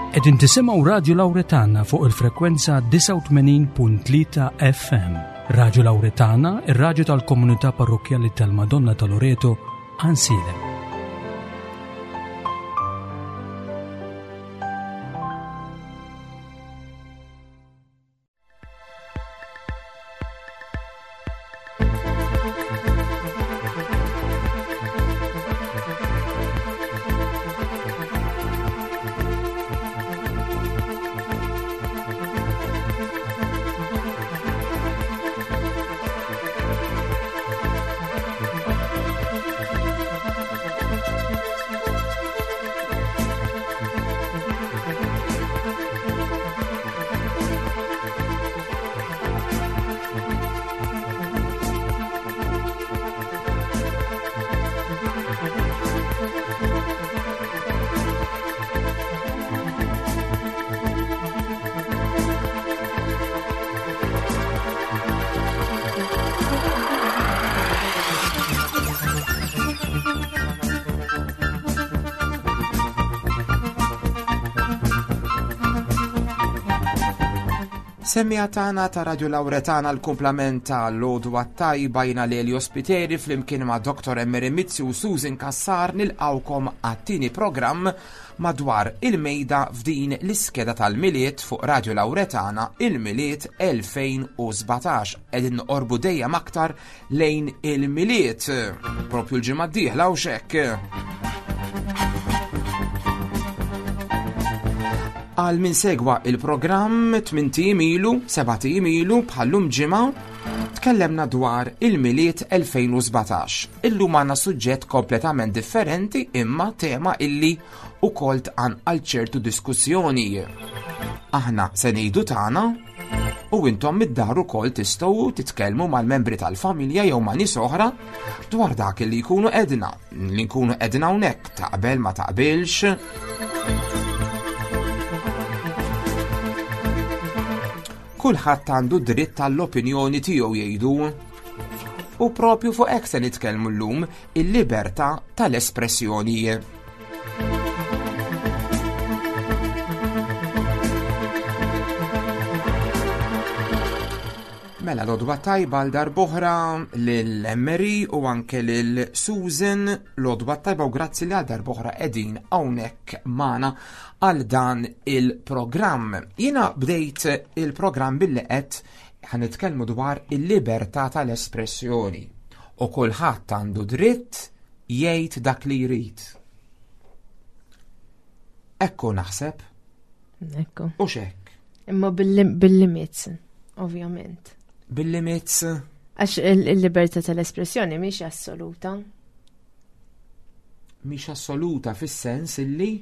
Qegħdin tisimgħu Radju Lawretana fuq il-frekwenza 89.3 FM. Radju Lawretana, ir-radju tal-komunità parrokkjali tal-Madonna ta' Loreto, Ansilem. Semmija tagħna ta' Radio Lauretana l-kumplament ta' l-għodwa tajba jina Lelio Spiteri flimkien ma' Dr. Emery Mizzi u Susan Kassar nilqawkom għat-tieni programm madwar il-mejda f'din l-iskeda tal-Milied fuq Radio Lauretana il-Milied 2017 qegħdin noqorbu dejjem aktar lejn il-Milied propju l-ġimgħa d-dieħla u xekk. Għal min segwa il-programm 8 ijiem ilu, 7 ijiem ilu bħallum ġimgħa tkellemna dwar il-Milied 2017. Illum għandna suġġett kompletament differenti imma tema illi ukoll tqanqal ċertu diskussjoni. Aħna se ngħidu tagħna u intom mid-dar ukoll tistgħu titkellmu mal-membri tal-familja jew ma' nies oħra dwar dak li jkunu edna, li nkunu edna hawnhekk taqbel ma taqbilx. Kulħadd għandu dritt tal-opinjoni tiegħu jgħidu. U propju fuq hekk se nitkellmu llum il-libertà tal-espressjoni. Mela l-odwa tajba għal darboħra lil Emery u anke lil Susan l-odwa tajba u grazzi li għal darboħra edin hawnhekk magħna għal dan il-programm. Jiena bdejt il-programm billi qed ħanitkellmu dwar il-libertà tal-espressjoni u kulħadd għandu dritt jgħid dak li jrid. Ekku naħseb. Ekku. U xek. Imma bil-limits, ovvjament. Bil-limits? Għax il-libertà tal-espressjoni mhix assoluta. Mhix assoluta fis-sens illi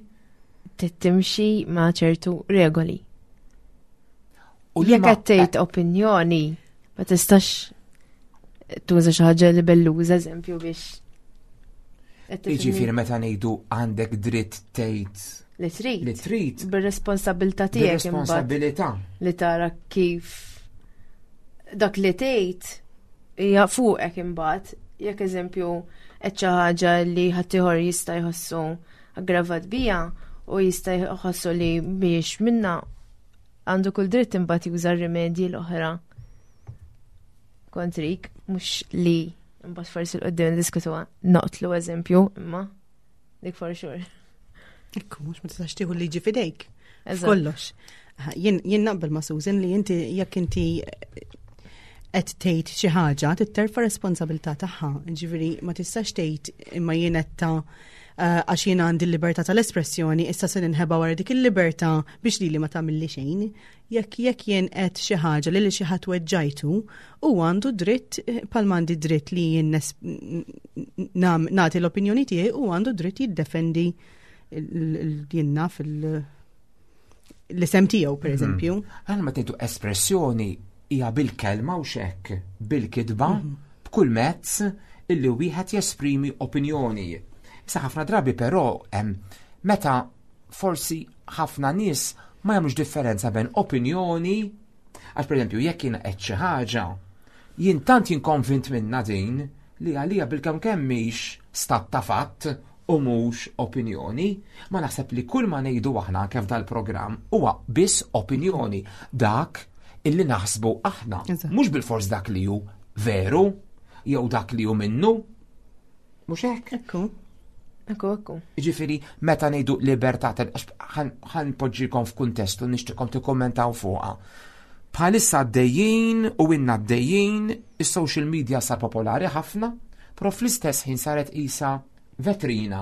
tittimxi ma' ċertu regoli. U jekk qed tgħid opinjoni, ma tistax tuża xi ħaġa li belluża eżempju biex. Jiġifieri meta ngħidu għandek dritt tgħid li trid. Li trid. Bir-responsabilità tiegħek. Bir-responsabilità. Li tara kif dak li tgħid hija fuqek imbagħad, jekk eżempju qed xi ħaġa li ħaddieħor jista' jħossu aggravat bija u jista' jħossu li mhijiex minna għandu kull dritt imbagħad juża r-rimedji l-oħra kontrik, mhux li imbagħad forsi l-qudiem diskutuha noqtlu eżempju imma dik for sure. Ekku, mhux ma tistax tieħu liġi fidejk. Kollox. Jien naqbel ma' Susan li inti jekk inti qed tgħid xi ħaġa titterfa responsabilità tagħha. Ġifieri ma tistax tgħid imma jien qed ta' eh, għax jien għandi l-libertà tal-espressjoni issa se ninħeba wara dik il-libertà biex lili ma tagħmilli xejn. Jekk jekk jien qed xi ħaġa li xi ħadd weġġajtu, u għandu dritt eh, bħal m'għandi dritt li jien nagħti l-opinjoni tiegħi u għandu dritt jiddefendi jien naf l-isem tiegħu per mhm. eżempju. Għal ma tgħidu espressjoni hija bil-kelma u xekk, bil-kitba, mhm. b'kull mezz illi wieħed jesprimi opinjoni. Issa ħafna drabi però meta forsi ħafna nies ma jagħmlux differenza bejn opinjoni għax pereżempju jekk jiena qed xi ħaġa, jien tant jien konvint minna din li għalija bil-kemm kemm mhix stat ta' fatt. u mhux opinjoni. Ma naħseb li kull ma ngħidu aħna anke f'dal-programm huwa biss opinjoni dak illi naħsbu aħna. Mhux bilfors dak li hu veru jew dak li hu minnu. Mhux hekk? Ekku. Ekku, ekku. Ġifieri, meta ngħidu libertà ħan poġġikom f'kuntest u nixtieqkom tikkommentaw fuqha. Bħalissa għaddejjin u inna għaddejjin, is-social media sar popolari ħafna, però fl-istess ħin saret isa vetrina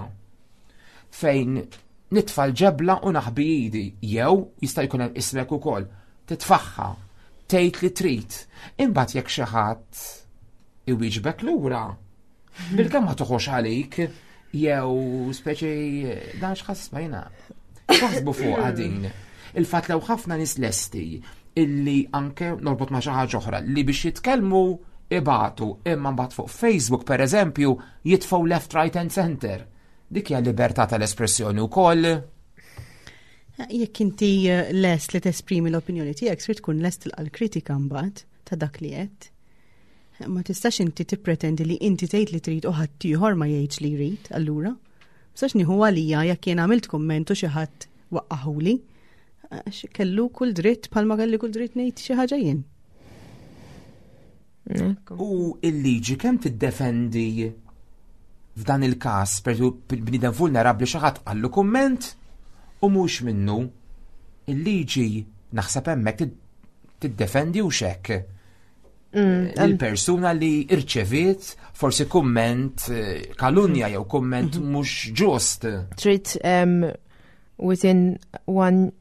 fejn nitfa' l-ġebla u naħbi idi, jew jista' jkun hemm ismek ukoll, titfaħħa, tgħid li trid. Imbagħad jekk xi ħadd iwieġbek lura, Bilkemm ma toħox għalik, jew speċi dan x'ħass ma jiena. Taħsbu fuq din. Il-fatt lew ħafna nies lesti illi anke norbot ma' xi ħaġa oħra li biex jitkellmu ibatu imma mbagħad fuq Facebook pereżempju jitfgħu left, right and center. Dik hija libertà tal-espressjoni wkoll. Jekk inti eh, lest li tesprimi l-opinjoni tiegħek, trid tkun lest tilqa' l-kritika mbagħad ta' dak li qed. Ma tistax inti tippretendi li inti tgħid li trid u ħaddieħor ma jgħidx li jrid, allura. Ma tistax nieħu għalija jekk jien għamilt kumment u xi ħadd waqqaħuli. Għax kellu kull dritt bħalma kelli kull dritt ngħid xi ħaġa jien. U il-liġi kemm tiddefendi f'dan il-każ, per bniedem vulnerabbli xi ħadd qallu kumment u mhux minnu. Il-liġi naħseb hemmhekk tiddefendi u xekk. Il-persuna li irċeviet forsi kumment eh, kalunja jew kumment mhm. mhux ġust. Trid within one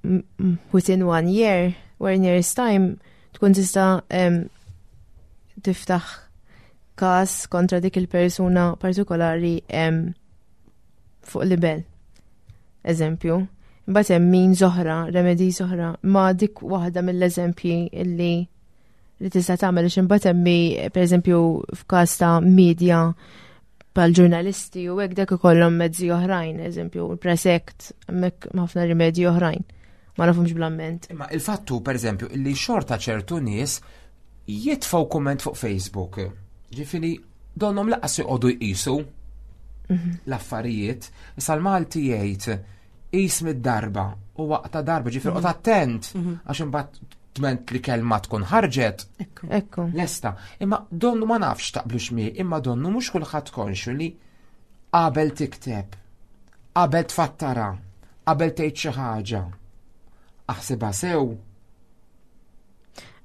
within one year, one year's time, tkun tista' tiftaħ każ kontra dik il-persuna partikolari fuq libel. Eżempju. Imbagħad hemm min oħra, remedi oħra, ma dik waħda mill-eżempji illi li tista' tagħmel għax imbagħad hemm pereżempju f'każ ta' media pal ġurnalisti u hekk dak ikollhom mezzi oħrajn, eżempju il-Press Act, hemmhekk ħafna rimedji oħrajn. Ma nafhomx bl-amment. Imma il-fattu pereżempju li xorta ċertu nies jitfgħu kumment fuq Facebook. Ġifieri donhom laqas joqogħdu jqisu mhm. l-affarijiet. Issa l-Malti jgħid qis mid-darba u waqta darba, ġifieri qgħod mhm. attent mhm. għax imbagħad dment li kelma tkun ħarġet. Ekku. Lesta. Imma donnu ma nafx taqblux mi, imma donnu mhux kulħadd konxu li qabel tikteb, qabel tfattara, qabel tgħid xi ħaġa. Aħsibha sew.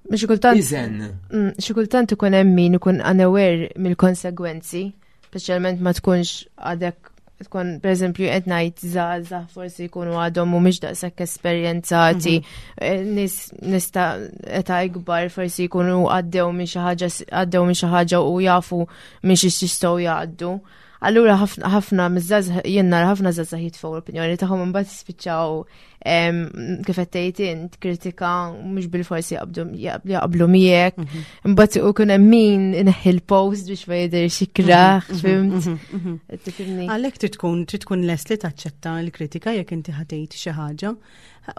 Xi kultant. Iżen. Mm, xi kultant ikun hemm min ikun unaware mill-konsegwenzi Speċjalment ma tkunx għadek tkun pereżempju qed ngħid żgħażagħ forsi jkunu għadhom mhumiex daqshekk esperjenzati, mhm. eh, nies nista' età ikbar forsi jkunu għaddew minn xi ħaġa għaddew minn xi ħaġa u jafu minn xi jistgħu jgħaddu. Allura ħafna miż-żgħażagħ jien nara ħafna żgħażagħ jitfgħu l-opinjoni tagħhom imbagħad jispiċċaw kif qed tgħid int kritika mhux bil-forsi jaqblu miegħek. Mhm. Imbagħad ikun hemm min ineħħi l-post biex ma jidhirx ikraħ, mhm, mhm, fimt? Tifhimni. Għalhekk trid tkun trid tkun lest li taċċetta l-kritika jekk inti ħatejt xi ħaġa.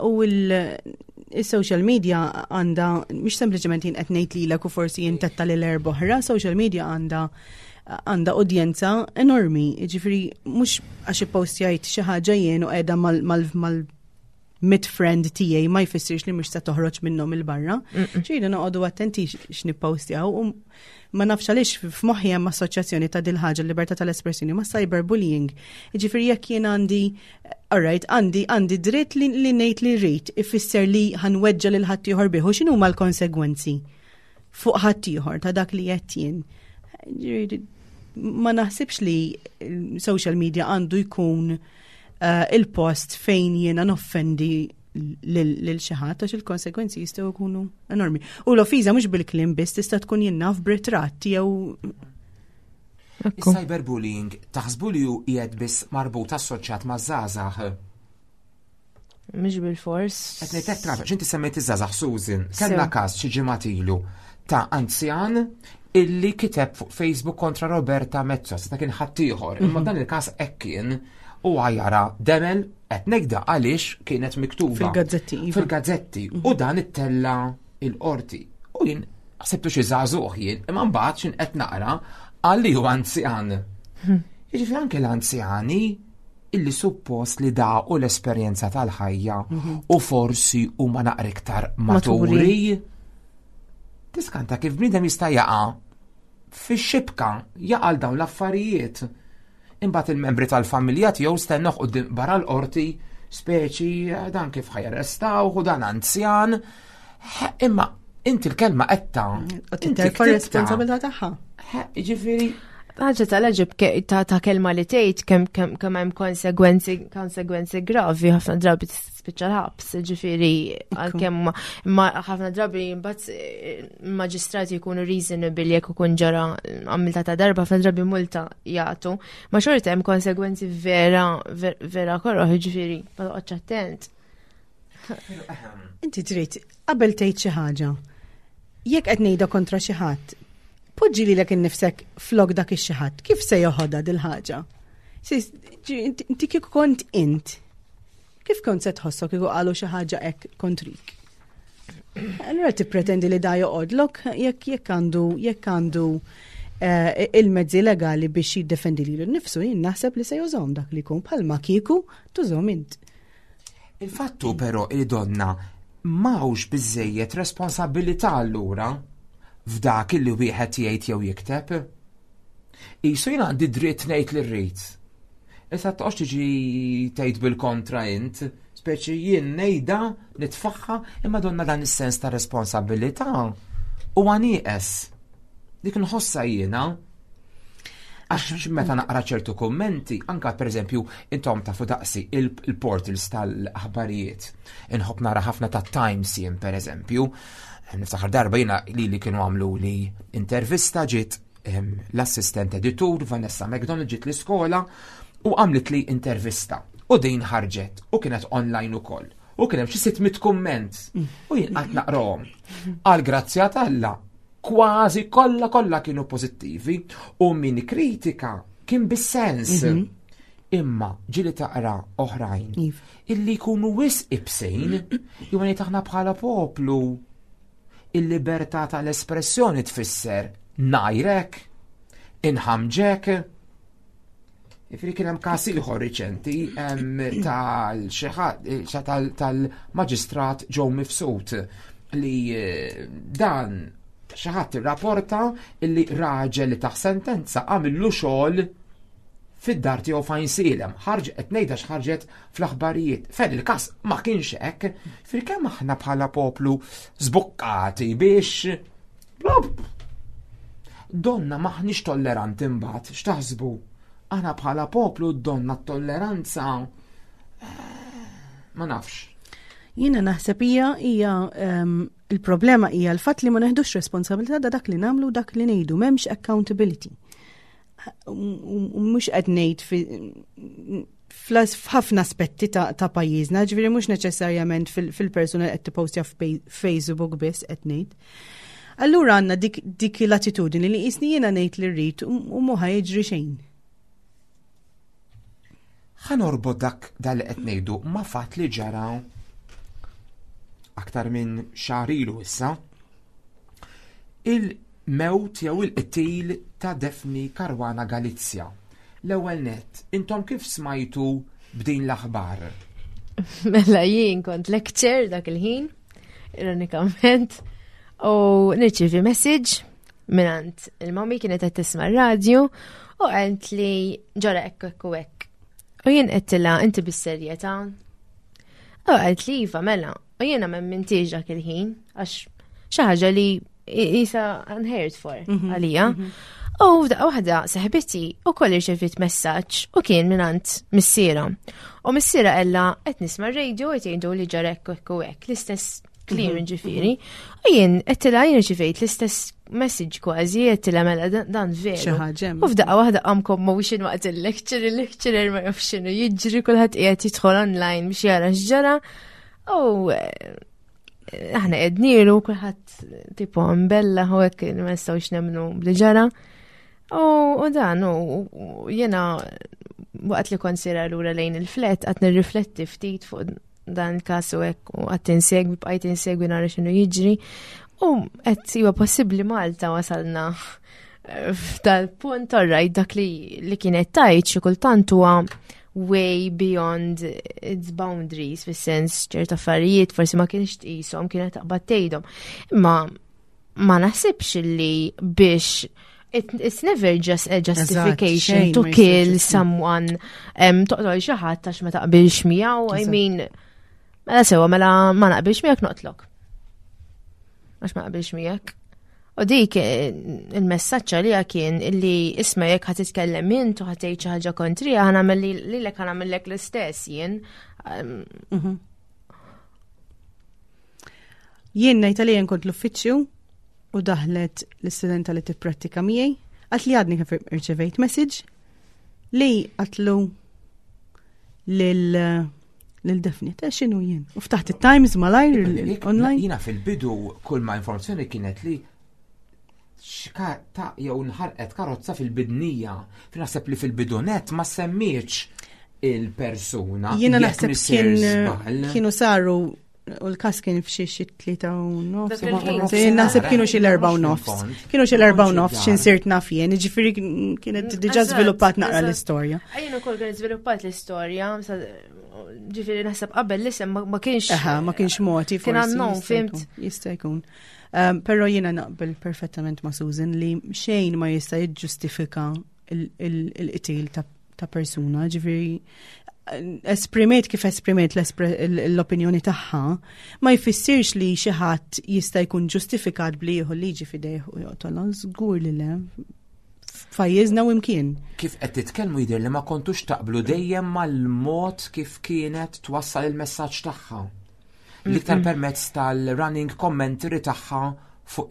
U il-social media għandha mhux sempliċement jien qed ngħid lilek u forsi jien tetta lil erba' oħra, social media għandha għandha udjenza enormi, ġifiri mhux għax ippostjajt xi ħaġa jien u qiegħda mal mit friend tiegħi ma jfissirx li mhux se toħroġ minnhom il-barra. Ġieli noqogħdu attenti x'nippostjaw u ma nafx għaliex f'moħħi hemm assoċjazzjoni ta' dil ħaġa libertà tal-espressjoni ma' cyberbullying. Ġifieri jekk jien għandi alright, għandi għandi dritt li, li ngħid li rrid ifisser li ħanweġġa lil ħaddieħor bih u x'inhuma l-konsegwenzi fuq ħaddieħor ta' dak li qed jien. Ma naħsibx li social media għandu jkun eh, il-post fejn jiena noffendi lil xi ħadd għax il-konsekwenzi jistgħu jkunu enormi. U l-offiża mhux bil-kliem biss tista' tkun jien naf b'ritratt jew Cyberbullying taħsbu li hu qiegħed biss marbut assoċjat ma' żgħażagħ? Mhux bil-fors. Qed ngħid traf, x'inti semmejt iż-żgħażagħ Susan, kellna każ xi ġimgħat ilu ta' anzjan illi kiteb fuq Facebook kontra Roberta Mezzo, ta' kien ħaddieħor, imma mhm. dan il-każ hekk kien u għajara demel qed ngħidha għaliex kienet miktuba. Fil-gazzetti. Iva. Fil-gazzetti. Mhm. U dan ittella il-qorti. U jien ħsibtu xi żagħżugħ jien, imma mbagħad x'in qed naqra għalli hu anzjan. Mhm. Jiġifieri anke l-anzjani. illi suppost li daqu l-esperjenza tal-ħajja u forsi huma naqra iktar maturi. Tiskanta kif bniedem jista' jaqa' fix-xibka jaqa' dawn l-affarijiet. Imbagħad il-membri tal-familja tiegħu stennuh quddiem barra l-qorti speċi dan kif ħa jarrestawh u dan anzjan. Imma inti l-kelma qedta. Inti terfa' responsabilità tagħha. Ġifieri ħaġa tal-ġib ta' kelma li tgħid kemm kemm kemm hemm konsegwenzi konsegwenzi gravi ħafna drabi tispiċċa l-ħabs, ġifieri għalkemm ma ħafna drabi mbagħad eh, maġistrati jkunu reasonable jekk ikun ġara għamilta ta' darba ħafna drabi multa jagħtu. Ma xorta hemm konsegwenzi vera vera koroħ, ġifieri ma toqgħodx attent. Inti trid qabel tgħid xi ħaġa. Jekk qed ngħidha kontra xi ħadd, poġġi lilek innifsek flok dak ix-xi ħadd, kif se joħodha dil-ħaġa? Inti kieku kont int, kif kont se tħossok kieku qalu xi ħaġa hekk kontrik? Allura tippretendi li da joqgħodlok jekk jekk għandu jekk għandu eh, il-mezzi legali biex jiddefendi lilu nnifsu, jien naħseb li se jużhom dak li jkun bħalma kieku tużhom int. Il-fattu però li donna m'hawnx biżejjed responsabilità allura f'dak li wieħed jgħid jew jikteb. Isu jien għandi dritt ngħid li rrid. Issa toqgħodx tiġi tgħid bil-kontra int, speċi jien ngħidha nitfaħħa imma donna dan is-sens ta' responsabilità huwa nieqes. Dik nħossha jiena. Għax meta naqra ċertu kummenti, anka pereżempju intom tafu daqsi il-portals tal-aħbarijiet. Inħobb nara ħafna ta' Times jien pereżempju. Niftakar darba jiena li li kienu għamlu li intervista ġiet l-assistent editur Vanessa McDonald ġiet l-iskola u għamlet li intervista. U din ħarġet u kienet online ukoll. U kien hemm xi 600 kumment u jien qatt naqrahom. Għal grazzja t'Alla kważi kollha kollha kienu pożittivi u min kritika kien bis-sens. Mhm. Imma ġili taqra oħrajn iva. illi jkunu wis ibsejn jew ngħid aħna bħala poplu il-libertà tal-espressjoni tfisser najrek, inħamġek, Ifri kien hemm każ ieħor riċenti tal-maġistrat Joe Mifsud li eh, dan xi ħadd irrapporta li raġel li taħ sentenza għamillu xogħol fid-dar tiegħu fejn silem. Ħarġ qed ngħidha x'ħarġet fl-aħbarijiet. Fejn il-każ ma kienx hekk, fil-kemm aħna bħala poplu żbukkati biex Donna maħniex tolleranti mbagħad, x'taħsbu? Aħna bħala poplu donna t-tolleranza eh, ma nafx. Jiena naħseb hija hija ehm, il-problema hija l-fatt li ma neħdux responsabilità da dak li nagħmlu dak li ngħidu, m'hemmx accountability. U mhux qed ngħid f'ħafna aspetti ta', ta pajjiżna, ġifieri mhux neċessarjament fil-persuna li qed tippostja f'Facebook biss qed ngħid. Allura għandna dik, dik l-attitudini li qisni jiena ngħid li rrid u mhu jiġri xejn. Ħa norbot dak dal li qed ngħidu ma' fatt li ġara aktar minn xahar ilu issa. Il-mewt jew il-qtil ta' Daphne Caruana Galizia. L-ewwel nett, intom kif smajtu b'din l-aħbar? Mela jien kont lecture dak il-ħin, ironikament, u nirċievi message minant il-mami kienet qed tisma' r-radju u qalt li ġara hekk hekk u hekk. U jien qedtilha inti bis-serjetà. U qalt li iva mela, u jiena m'emmintix dak il-ħin għax xi ħaġa li jisa unheard for mhm, għalija. Mhm. U f'daqqa waħda seħbiti u koll irċevit messaġġ u kien minant missiera. U missiera ella qed nisma' r-radio qed jgħidu li ġara hekk hekk u hekk, l-istess kliem mhm, ġifieri. U jien qed jien irċevejt l-istess message kważi qed mela dan veru. U f'daqqa waħda qam commotion waqt il-lecture, il-lecturer ma jafx x'inhu jiġri kulħadd qiegħed jidħol online biex jara x'ġara. U eh, aħna qednilu kulħadd tipo mbella u hekk ma nistgħux nemmnu bli ġara. U dan u jiena waqt li kont sira lura lejn il-flet qatt nirrifletti ftit fuq dan il-każ u hekk u qatt insegwi bqajt insegwi nara x'inhu jiġri. U qed huwa possibbli Malta wasalna f'dal-punt orrajt dak li, li kienet tajt xi kultant huwa way beyond its boundaries, fis-sens ċerta affarijiet forsi ma kienx tqishom, kienet taqbad tgħidhom. Imma ma naħsibx li biex it's never just a justification to kill someone toqtol xi ħadd għax ma taqbilx miegħu, I mean, mela sewa mela ma naqbilx miegħek noqtlok. Għax ma naqbilx miegħek. U dik eh, il-messaġġ għalija kien illi isma' jekk ħa titkellem int u ħa tgħid xi ħaġa kontrija ħa nagħmel lilek ħa nagħmellek l-istess jien. Mhm. Jien ngħid għalija kont l-uffiċċju u daħlet l-istudenta li tipprattika miegħi, għat li għadni kif irċevejt message li għatlu lil lil Daphne, ta' xinu jien. U ftaħt it-Times malajr online. Jina fil-bidu kull ma informazzjoni kienet li xka ta' jew nħarqet karozza fil-bidnija. Naħseb li fil-bidunet ma semmiex il-persuna. Jiena naħseb kienu saru u l-kas kien f'xi xi 3 u nofs. Naħseb kienu xi l-4:30. Kienu xi l-4:30 x'in sirt naf jien, ġifieri kienet diġà żviluppat naqra l-istorja. Jien ukoll kien żviluppat l-istorja, ġifieri naħseb qabel l-isem ma kienx. Eħa, ma kienx moti. Kien unknown, fimt. Jista' jkun. Però jiena naqbel perfettament ma' Susan li xejn ma jista' jiġġustifika il-qtil ta' persuna, ġifieri esprimiet kif esprimiet l-opinjoni tagħha, ma jfissirx li xi ħadd jista' jkun ġustifikat bli jieħu liġi f'idejh u joqtolha, żgur li le. F'pajjiżna u imkien. Kif qed titkellmu jidher li ma kontux taqblu dejjem mal-mod kif kienet twassal il-messaġġ tagħha. L-iktar permezz tal-running commentary tagħha fuq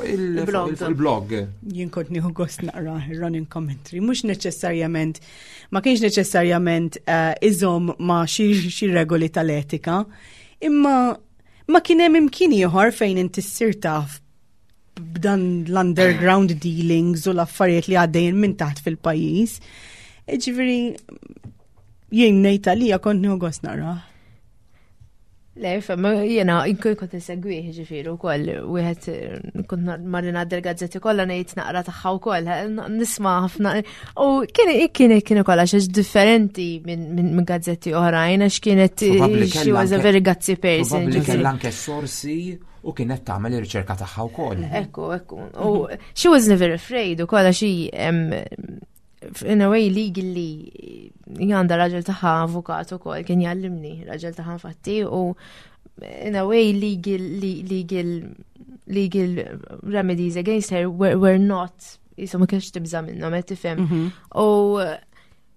il-blog. Jien kont nieħu gost naqra running commentary, mhux neċessarjament, ma kienx neċessarjament iżomm ma xi regoli tal-etika, imma ma kien hemm imkien ieħor fejn inti ssir taf b'dan l-underground dealings u l-affarijiet li għaddejjin minn taħt fil-pajjiż. Ġifieri jien ngħid għalija kont nieħu gost naqra. Le, fem, jena, inkun kont insegwih ġifieri wkoll, wieħed kont marri ngħaddi l-gazzetti kollha ngħid naqra tagħha wkoll, nisma' ħafna. U kien kien kien ukoll għax differenti minn gazzetti oħrajn għax kienet she was a very gutsy person. Probabbli kellha anke sorsi u kienet tagħmel ir-riċerka tagħha wkoll. Ekku, ekku. U she was never afraid ukoll għax in a way legally għandha raġel tagħha avukat ukoll kien jallimni raġel tagħha infatti u in a way legal remedies against her were not jisu ma kienx tibża minnhom qed tifhem. U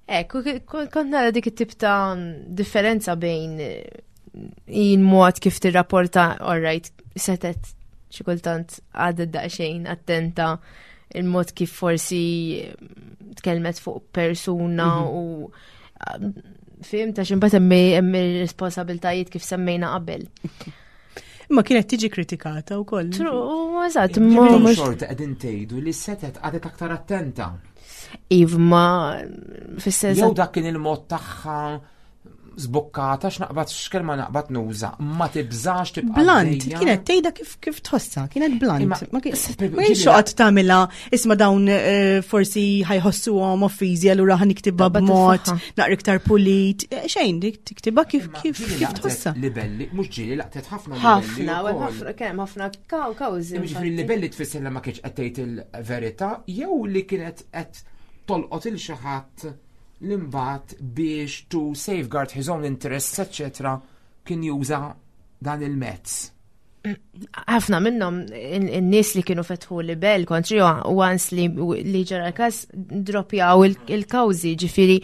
ekku kont nara dik it-tip ta' differenza bejn jien mod kif tirrapporta alright setet xi kultant għadet daqsxejn attenta il-mod kif forsi tkellmet fuq persuna u fim ta' ximbat hemm ir-responsabiltajiet kif semmejna qabel. Imma kienet tiġi kritikata wkoll. True, eżatt, ma mhux xorta qegħdin tgħidu li setet għadet aktar attenta. Iv ma fis-sens. Jew dak kien il-mod tagħha zbukkata x'naqbad x'kelma naqbad nuża, ma tibżax tibqa' Blunt, kienet tgħidha kif tħossha, kienet blunt. Ma kienx xoqgħod tagħmilha isma' dawn forsi ħa jħossuhom offiżi allura ħa niktibha b'mod naqra iktar pulit. Xejn, dik tiktibha kif tħossha. Libelli, mhux ġieli laqtet ħafna ħafna, ħafna kemm ħafna kawżi. Ġifieri libelli tfisser li ma kienx qed tgħid il-verità jew li kienet qed tolqot il xi ħadd l-imbat biex to safeguard his own interests, etc., kien juża dan il-mezz. Ħafna minnhom in-nies li kienu fetħu libel kontri u once li ġara l-każ dropjaw il-kawżi, ġifieri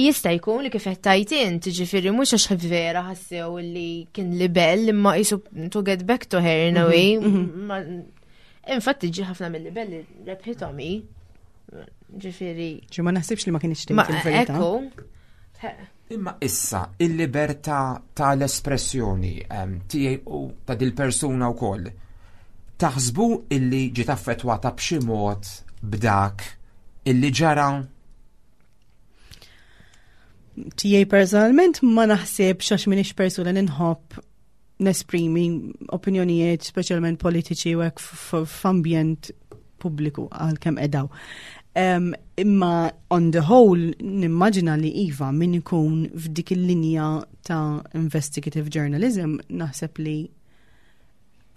jista' jkun li kif qed tgħid int, ġifieri mhux għax vera ħassew li kien libel imma qisu to get back to her in a way. Infatti ġi ħafna mill-libelli rebħithom hi. Ġifieri. Ġi ma naħsibx li ma kienx tgħid il-verità. Ekku. Imma issa il-libertà tal-espressjoni tiegħi u ta' dil-persuna wkoll. Taħsbu illi ġiet affettwata b'xi mod b'dak illi ġara? Tiegħi personalment ma naħsibx għax m'iniex persuna li nħobb nesprimi opinjonijiet speċjalment politiċi u hekk f'ambjent pubbliku għal kemm edaw. Imma on the whole nimmaġina li iva min ikun f'dik il-linja ta' investigative journalism naħseb li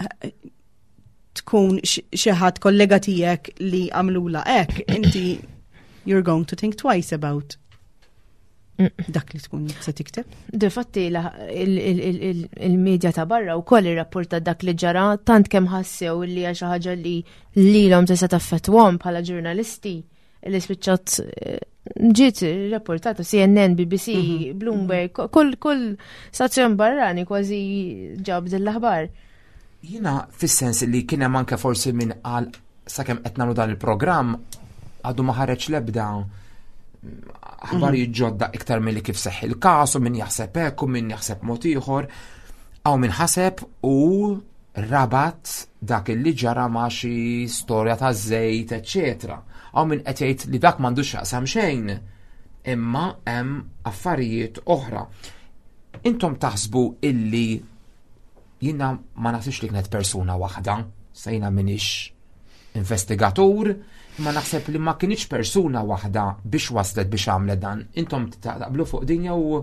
eh, tkun xi ħadd kollega tiegħek li għamlula hekk, inti you're going to think twice about dak li tkun se tikteb. Difatti il-medja ta' barra u koll irrapporta dak li ġara tant kemm ħassew li hija xi ħaġa li lilhom tista' taffettwahom bħala ġurnalisti li spiċċat eh, ġiet rapportata CNN, BBC, mhm. Bloomberg, kull kull stazzjon barrani kważi ġab din l-aħbar. Jiena fis-sens li kien hemm anke forsi min qal sakemm qed nagħmlu dan il-programm għadu ma ħareġ l-ebda aħbarijiet mhm. ġodda iktar milli kif seħħ il-każ u min jaħseb hekk u min jaħseb mod ieħor. Hawn min ħaseb u rabat dak li ġara ma' xi storja ta' żejt, eċċetera. Hawn min qed jgħid li dak m'għandux x'jaqsam xejn, imma hemm affarijiet oħra. Intom taħsbu illi Jiena ma naħsibx li kienet persuna waħda, sa jiena minix investigatur, imma naħseb li ma kienx persuna waħda biex waslet biex għamlet dan. Intom taqblu fuq din jew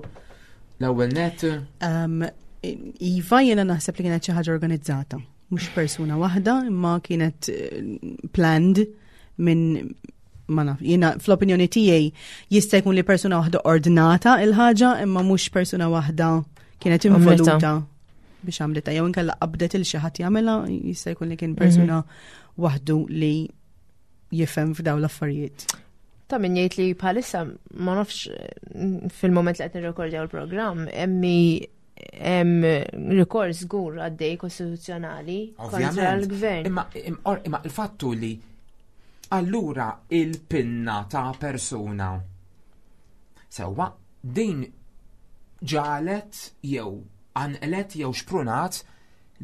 l-ewwel net? Um, iva, jiena naħseb li kienet xi ħaġa organizzata, mhux persuna waħda, imma kienet eh, planned minn ma naf, jiena fl-opinjoni tiegħi jista' jkun li persuna waħda ordnata il-ħaġa imma mhux persuna waħda kienet involuta biex għamlitha jew inkella qabdet il xi ħadd jagħmilha jista' jkun li kien persuna mhm. waħdu li jifhem f'daw l-affarijiet. Ta' min jgħid li bħalissa ma nafx fil-moment li qed nirrekordjaw il-programm emmi hemm rikors żgur għaddej kostituzzjonali kontra l-gvern. Imma imma il-fattu li allura il-pinna ta' persuna sewwa din ġalet jew anqlet jew xprunat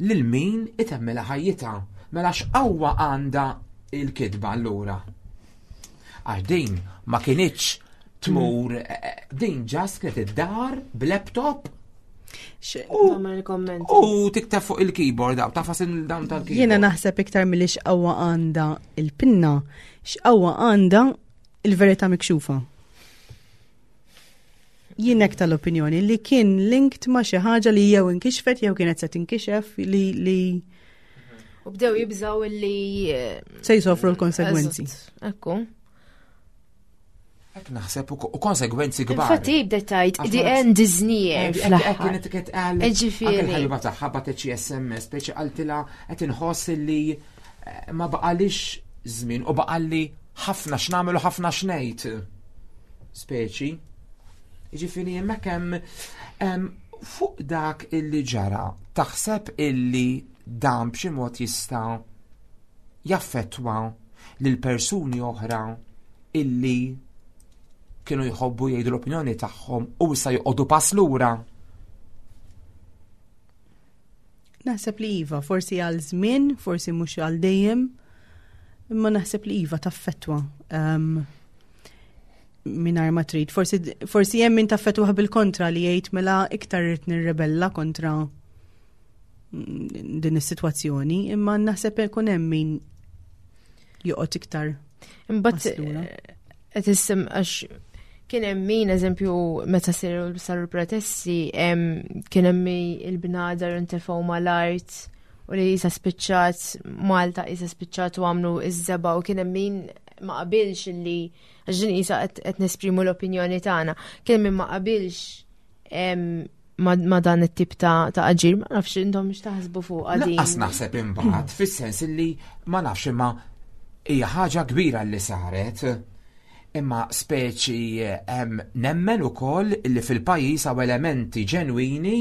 lil min itemmilha ħajjitha. Mela x'qawwa għandha il-kitba allura? Għax din ma kinitx tmur, eh, eh, din ġast kienet id-dar b'laptop U tikteb fuq il-keyboard, daw, tafas il-dawn tal-keyboard. Jiena naħseb iktar mill x'qawwa għandha il-pinna, x'qawwa għandha il-verità mikxufa. Jien hekk tal-opinjoni li kien linked ma' xi ħaġa li jew inkixfet jew kienet se tinkixef li li U bdew jibżaw li eh, se jsofru l-konsegwenzi. Ekku. Hekk naħseb u konsegwenzi kbar. Infatti bdet tgħid the end is near. Hekk kienet qed qal. Ġifieri. Il-ħabiba tagħha bagħtet xi SMS speċi qaltilha qed inħoss li eh, ma baqalix żmien u baqalli ħafna x'nagħmel u ħafna x'ngħid. Speċi. Ġifieri hemmhekk hemm fuq dak illi ġara taħseb illi dan b'xi mod jista' jaffettwa lil persuni oħra illi kienu jħobbu jgħidu l-opinjoni tagħhom u issa joqogħdu pass lura. Naħseb li iva, forsi għal żmien, forsi mhux għal dejjem, imma naħseb li iva taffettwa. Um, minar ma trid. Forsi, forsi hemm min taffettwa bil-kontra li jgħid mela iktar irid nirrebella kontra din is-sitwazzjoni, imma naħseb ikun hemm min joqgħod iktar. Imbagħad eh, qed issem għax kien hemm min eżempju meta saru saru protesti kien hemm il-bnadar intefgħu mal-art u li jisa spiċċat Malta jisa spiċċat u għamlu iż-żeba u kien hemm min ma qabilx li għax din jisa qed nesprimu l-opinjoni tagħna. Kien min ma qabilx ma dan it-tip ta' aġir, ma nafx intom x'taħsbu fuq għadin. Lanqas naħseb imbagħad fis-sens illi ma nafx imma hija ħaġa kbira li saret. Imma speċi hemm nemmen ukoll illi fil-pajjiż hawn elementi ġenwini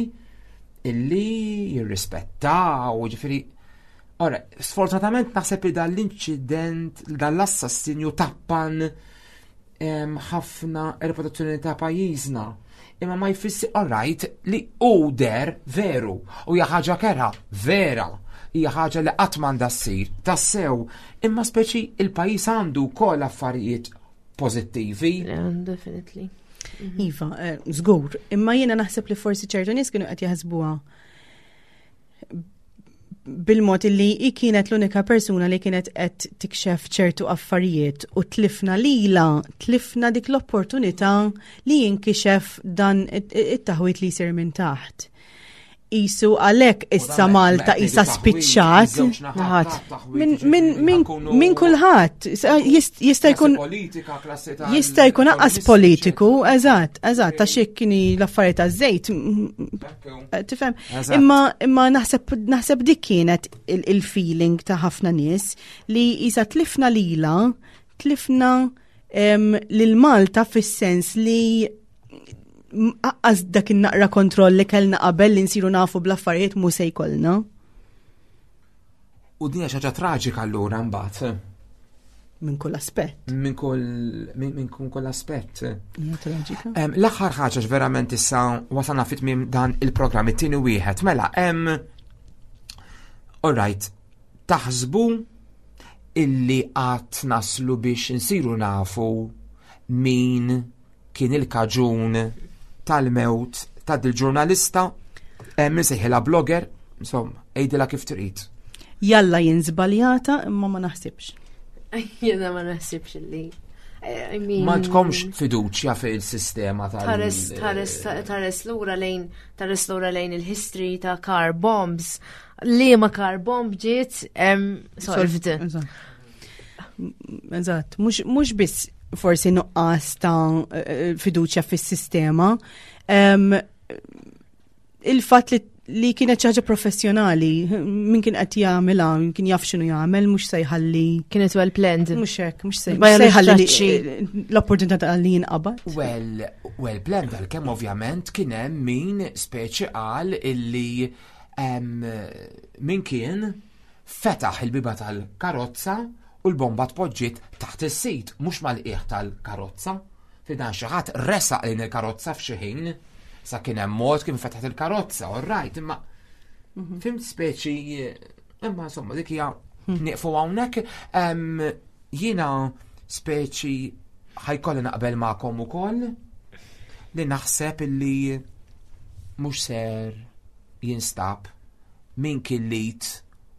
illi jirrispettaw, ġifieri Ora, sfortunatament naħseb li dan l-inċident, dan l-assassinju tappan ħafna reputazzjoni ta' pajjiżna. Imma ma jfissi alright li hu der veru u hija ħaġa kera vera hija ħaġa li qatt m'għandha ssir tassew imma speċi il-pajjiż għandu wkoll affarijiet pożittivi. Yeah, definitely. Mhm. Iva, eh, żgur, imma jiena naħseb li forsi ċertu nies kienu qed jaħsbuha. bil-mod li hi kienet l-unika persuna li kienet qed tikxef ċertu affarijiet u tlifna lila, tlifna dik l-opportunità li jinkixef dan it-taħwit li jsir minn taħt. Isu għalek issa Malta isa spiċċat. Minn kulħadd jista' jkun jista' jkun aqqas politiku, eżatt, eżatt, għax jekk kieni l-affarijiet taż-żejt. Eh, tifhem? Imma imma naħseb naħseb dik kienet il-feeling ta' ħafna nies li isa tlifna lila, tlifna lil Malta fis-sens li aqqas dak in-naqra kontroll li kellna qabel li nsiru nafu bl-affarijiet mhu se jkollna. U din hija xi ħaġa traġika allura mbagħad. Minn kull aspett. Minn kull minn kull aspett. Hija traġika. L-aħħar ħaġa verament issa wasalna fit tmiem dan il-programm it-tieni wieħed. Mela, hemm All right, taħsbu illi qatt naslu biex insiru nafu min kien il-kaġun tal-mewt ta' dil-ġurnalista, eh, min sejħilha blogger, insomma, għidilha kif trid. Jalla jien żbaljata imma ma naħsibx. Jiena ma naħsibx li. I mean, ma tkomx fiduċja fil-sistema tal Tħares tħares tħares lura lejn tħares lura lejn il-history ta' car bombs. Li ma car bomb ġiet solved. Eżatt, mhux biss forsi nuqqas ta' eh, fiduċja fis-sistema. Il-fatt li li kienet ħaġa professjonali, min kien qed jagħmilha, min kien jaf x'inhu jagħmel, mhux se jħalli. Kienet well planned. Mhux hekk, mhux se jħalli l-opportunità ta' li jinqabad. Well, well planned għalkemm ovvjament kien hemm min speċi qal illi min kien Fetaħ il-bieba tal-karozza u l-bomba tpoġġiet taħt is-sit, mhux mal-qiegħ tal-karozza. Fi dan xi ħadd resaq lejn il-karozza f'xi ħin. Sa kien hemm mod kif fetħet il-karozza, all right, imma mhm. fimt speċi imma insomma dik hija hmm. nieqfu hawnhekk. Jiena speċi ħajkolli naqbel magħkom ukoll li naħseb illi mhux ser jinstab min kien l-id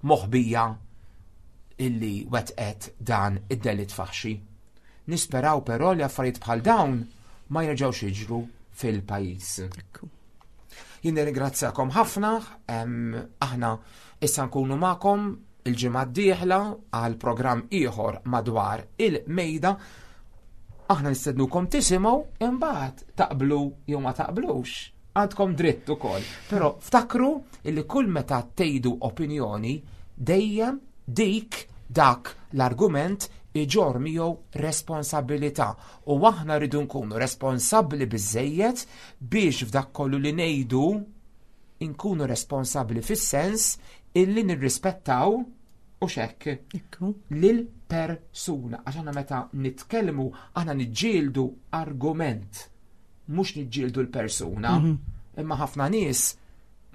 moħbija illi wettqet dan id-delitt faħxi. Nisperaw però li affarijiet bħal dawn ma jerġgħux jiġru fil-pajjiż. Jien nirringrazzjakom ħafna, aħna issa nkunu magħkom il-ġimgħa d-dieħla għal programm ieħor madwar il-mejda. Aħna nistednukom tisimgħu imbagħad taqblu jew ma taqblux. Għandkom dritt ukoll. Però ftakru illi kull meta tgħidu opinjoni dejjem dik dak l-argument iġorr miegħu responsabilità u aħna rridu nkunu responsabbli biżejjed biex f'dak kollu li ngħidu nkunu responsabbli fis-sens illi nirrispettaw u xekk lil persuna għax aħna meta nitkellmu aħna niġġieldu argument mhux niġġieldu l-persuna, mhm. imma ħafna nies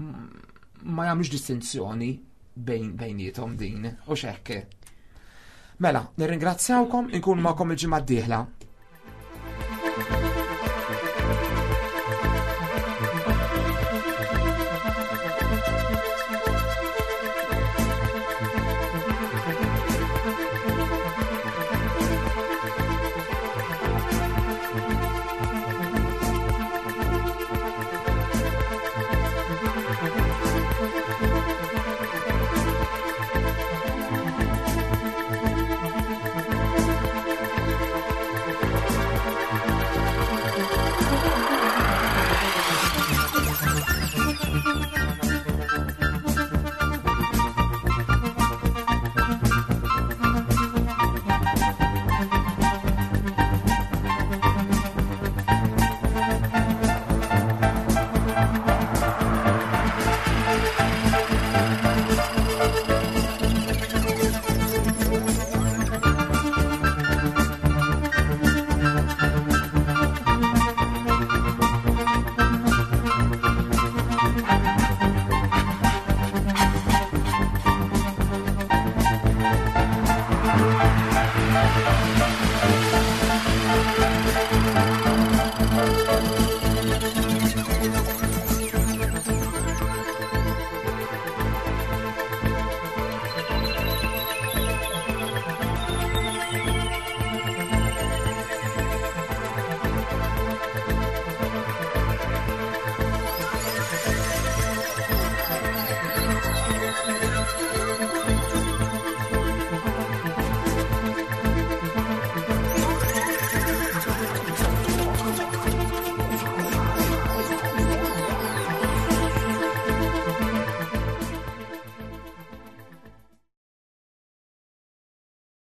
ma jagħmlux distinzjoni bejn bejnietom din u xekk. Mela, nirringrazzjawkom, inkunu magħkom il-ġimgħa d-dieħla.